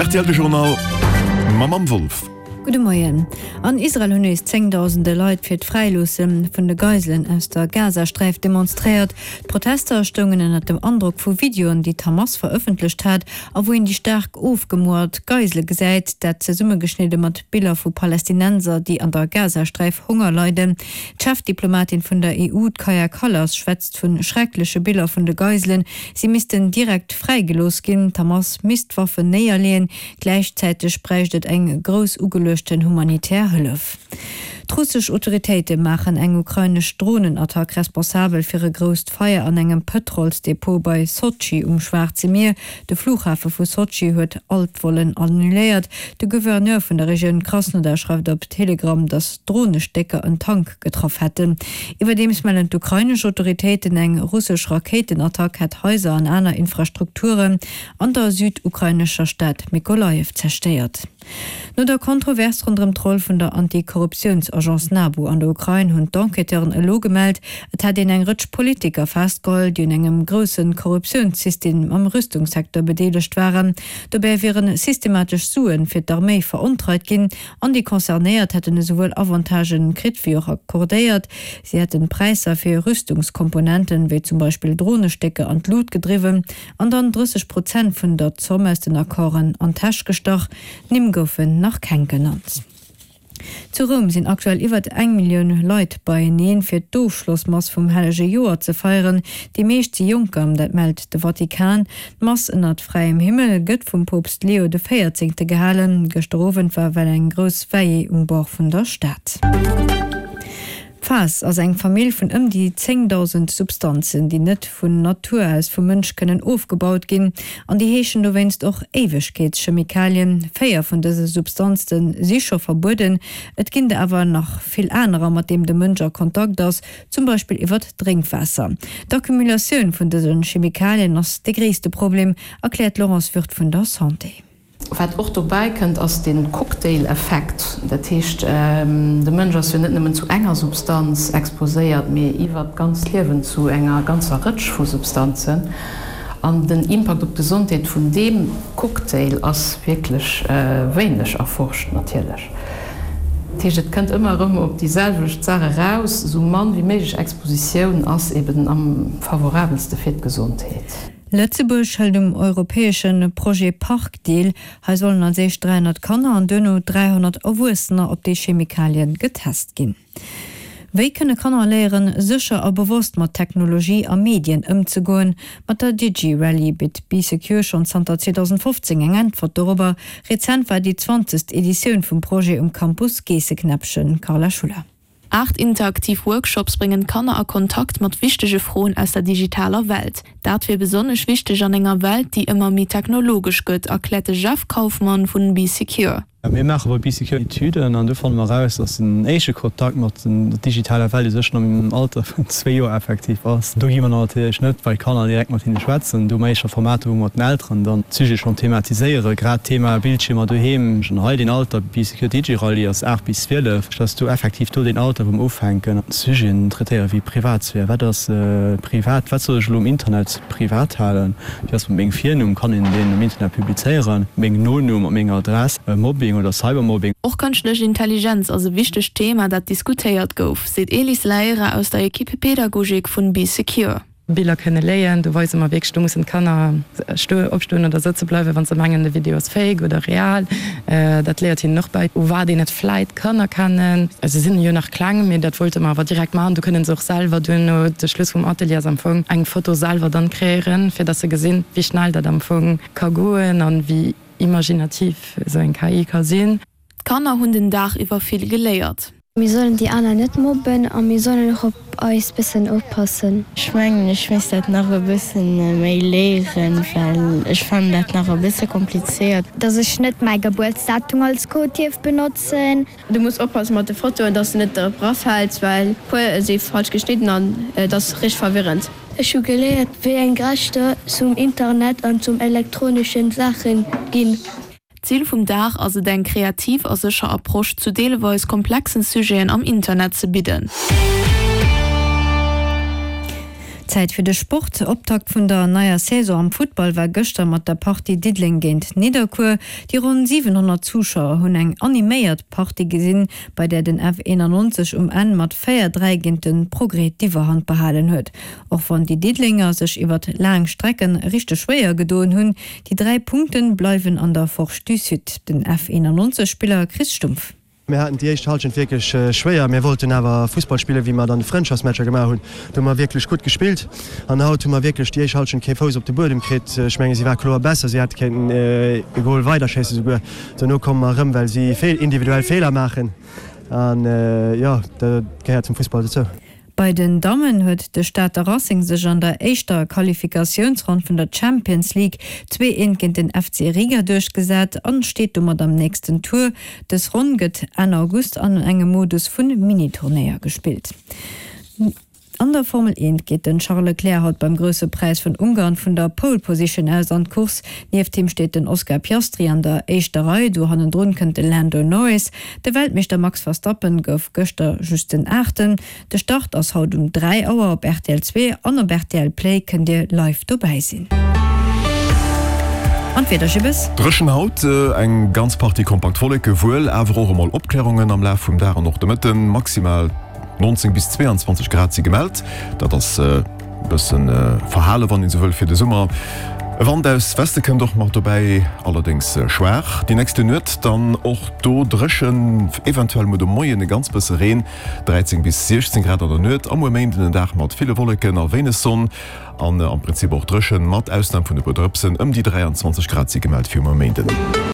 Rtl De Journal mam Anne Wolff. Gudde Moien. An Israel hunn nees zéngdausende Leit fir d'Fräiloosse vun de Geiselen aus der Gazasträif demonstréiert. D'Protester stoungen ënnert dem Androck vu Videoen, déi d'Hamas verëffentlecht hat a wou een déi staark ofgemoert Geisele gesäit, dat zesummegeschnidde mat Biller vu Palästinenser, déi an der Gazasträif Honger leiden. D'Chefdiplomatin vun der EU, d'Kaja Kallas, schwätzt vu schreckleche Biller vun de Geiselen. Si missten direkt fräigelooss ginn, d'Hamas misst d'Waffen néierleeën. Gläichzäiteg bräicht et eng grouss ugeluechten humanitär Hëllef. D'russesch Autoritéite maachen eng ukrainesch Dronenattack responsabel fir e grousst Feier an engem Pëtrolsdepot bei Sotschi um Schwaarze Mier. De Flughafe vu Sotschi huet all d'Vollen annuléiert. De Gouverneur vun der Regioun Krasnodar schreift op Telegram, datt Dronestécker en Tank getraff hätten. Iwwerdeems mellen d'ukrainesch Autoritéiten, eng russesch Rakéitenattack hätt Haiser an aner Infrastrukturen an der südukrainescher Stad Mykolajiw zerstéiert. No der Kontrovers ronderëm d'Roll vun der Anti-Korruptiouns-Agence NABU an der Ukrain hunn d'Enquêteuren elo gemellt, et hätt een eng Rëtsch Politiker festgeholl, déi un engem grousse Korruptiounssystem am Rüstungssecteur bedeelegt waren. Dobäi wiere systematesch Sue fir d'Arméi verontreit ginn an déi Concernéiert hätten esouwuel Avantagen kritt wéi och accordéiert. Si hätten d'Präisser fir Rüstungskomponenten, wéi zum Beispill Dronestécker, an d'Lut gedriwwen an dann 30 Prozent vun der Zomm aus den Accorden an d'Täsch gestach. Nimm goufen nach keng genannt. Zu Roum sinn aktuell iwwert eng Millioun Leit beieneen, fir d'Ofschlossmass vum Hellege Joer ze feieren. Déi meescht si Jonker, dat mellt de Vatikan. D'Mass ënnert fräiem Himmel gëtt vum Poopst Leo de Véierzéngte gehalen. Gëschter Owend war well eng grouss Veillée um Bord vun der Stad. D'Faass ass eng Famill vun ëm déi 10.000 Substanzen, déi net vun Natur aus vum Mënsch kënnen ofgebaut ginn, an déi heeschen dowéinst och Éiwegkeetschemikalien. 4 vun dëse Substanze si scho verbueden, et ginn der awer nach vill anerer, mat deem de Mënsch a Kontakt ass, zum Beispill iwwert d'Drénkwaasser. D'Accumulatioun vun dëse Chemikalien ass de gréisste Problem, erkläert d'Laurence Würth vun der Santé. Wat och dobäi kënnt, ass de Cocktail-Effekt. Dat heescht, de Mënsch ass jo net nëmmen zu enger Substanz exposéiert, mee iwwert d'ganzt Liewen zu enger ganzer Rëtsch vu Substanzen. An den Impakt op d'Gesondheet vun deem Cocktail ass wierklech wéineg erforscht natierlech. Dat heescht, et kënnt ëmmer erëm op déi selwecht Saach eraus, esou mann wéi méiglech Expositioun ass eben am favorabelste fir d'Gesondheet. Lëtzebuerg hëlt um europäesche Projet Park deel. Hei sollen als éischt 300 Kanner an duerno 300 Erwuessener op déi Chemikalie getest ginn. Wéi kënne Kanner léieren, sécher a bewosst mat Technologie a Medien ëmzegoen? Mat der DigiRally bitt Bee Secure schonn zanter 2015 eng Äntwert dorobber. Rezent war déi zwanzegst Editioun vum Projet um Campus Geesseknäppchen. Carla Schuller. 8 interaktiv Workshops bréngen d'Kanner a Kontakt mat wichtege Froen aus der digitaler Welt. Dat wier besonnesch wichteg an enger Welt, déi ëmmer méi technologesch gëtt, erkläert de Jeff Kauffmann vun Bee Secure. Mir maache bei Bee Secure Etüden an do fanne mer eraus, dass den éischte Kontakt mat der digitaler Welt u sech schonn am Alter vun zwee Joer effektiv ass. Do gi mer dann natierlech net bei d'Kanner direkt mat hinne schwätzen. Do hu mer éischter Formater, wou mer mat den Elteren dann d'Sujete schonn thematiséieren, grad d'Thema Bildschiermer doheem. Schonn hei deen Alter, Bee Secure Digi-Rallye ass 8 bis 12, dass do effektiv do deen Alter, wou mer ufänken Sujeten traitéieren wéi Privatsphär, wat ass privat, wat soll ech elo um Internet privat halen? Wéi ass mat mengem Virnumm? Kann een deen um Internet publizéieren? Mengem Nonumm, mat menger Adress? Mobbing oder Cybermobbing? Och kënschtlech Intelligenz ass e wichtegt Thema, dat diskutéiert gouf, seet Elis Leira aus der Equipe Pedagogik vun Bee Secure. Biller kënne léien. Do weise mer wierklech, do mussen d'Kanner opstoen oder sëtze bleiwen, wa se mengen, de Video ass fake oder real. Dat léiert hinnen och bäi, u wat een et vläit kann erkennen. Se sinn jo nach kleng, mee dat wollte mer awer direkt maachen. Do kënne se och selwer duerno, de Schluss vum Atelier ass am Fong, eng Foto selwer dann kreéieren, fir dass se gesinn, wéi schnell dat am Fong ka goen an wéi imaginativ esou eng KI ka sinn. D'Kanner hunn den Dag iwwer vill geléiert. Mir sollen déi aner net mobben a mir sollen och op eis bëssen oppassen. Ech mengen ech misst dat nach e bëssen méi léieren, well ech fannen dat nach e bësse komplizéiert. Dass ech net mäi Gebuertsdatum als Code dierf benotzen. Du muss oppassen mat de Fotoen dass de net drop rafälls, well puer si falsch geschnidden an et ass richteg verwirrend. Ech hu geléiert wéi eng Rechter zum Internet an zum elektronischen Saachen ginn. D'Zil vum Dag ass et eng kreativ a sécher Approche zu deelweis komplexen Sujeten am Internet ze bidden. Zäit fir de Sport. Optakt vun der neier Saison am Futtball war gëschter mat der Partie Diddeleng géint Nidderkuer. Déi ronn 700 Zuschauer hunn eng animéiert Partie gesinn, bei där den F91 um Enn mat 4, 3 géint de Progrès d'Iwwerhand behalen huet. Och wann déi Diddelenger sech iwwert laang Strecken richteg schwéier gedoen hunn, déi 3 Punkten bleiwen an der Forge du Sud. Den F91 Spiller Chris Stumpf. Mir haten déi éischt Halschent wierklech schwéier. Mir wollten awer Fussball spillen, wéi mer et an de Frëndschaftsmatcher gemaach hunn. Do hu mer wierklech gutt gespillt an haut hu mer wierklech déi éischt Halschent kee Fouss op de Buedem kritt. Ech menge si war kloer besser, si hätte kéinten e Gol weiderschéissen souguer. Dono komme mer erëm, well si individuell Feeler maachen an jo, dat gehéiert zum Fussball dozou. Bei den Dammen huet de Stater Racing sech an der éischter Qualifikatiounsronn vun der Champions League 2 eent géint den FC Riga duerchgesat an steet domat am nächsten Tour. Dës Ronn gëtt Enn August an engem Modus vun Mini-Turnéier gespillt. An der Formel 1 geet den Charles Leclerc haut beim Grousse Präis vun Ungarn vun der Pole Position aus an d'Course. Nieft him steet den Oscar Piastri an der éischter Rei, do hannendrun kënnt de Lando Norris. De Weltmeeschter Max Verstappen gouf gëschter just den Aachten. De Start ass haut um 3 Auer op rtl 2 an op rtl Play kënnt dir live dobäi sinn. An d'Wieder, Jibbes? Dréchen haut, eng ganz Partie kompakt Wolleke, wuel awer och emol Opklärungen am Laf vum Dag an och de Mëtten. Maximal 19 bis 22 Grad si gemellt, dat ass e bëssen verhale wann een esou wëll fir de Summer. E Wand aus Weste kënnt och mat dobäi, allerdéngs schwaach. Déi nächste Nuet dann och do dréchen, eventuell muer de Moien e ganz bësse Reen. 13 bis 16 Grad an der Nuet a muer Méinden en Dag mat ville Wolleken a wéineg Sonn an am Prinzip och dréchen, mat Ausnam vun e puer Drëpsen. Ëm déi 23 Grad si gemellt fir muer Méinden.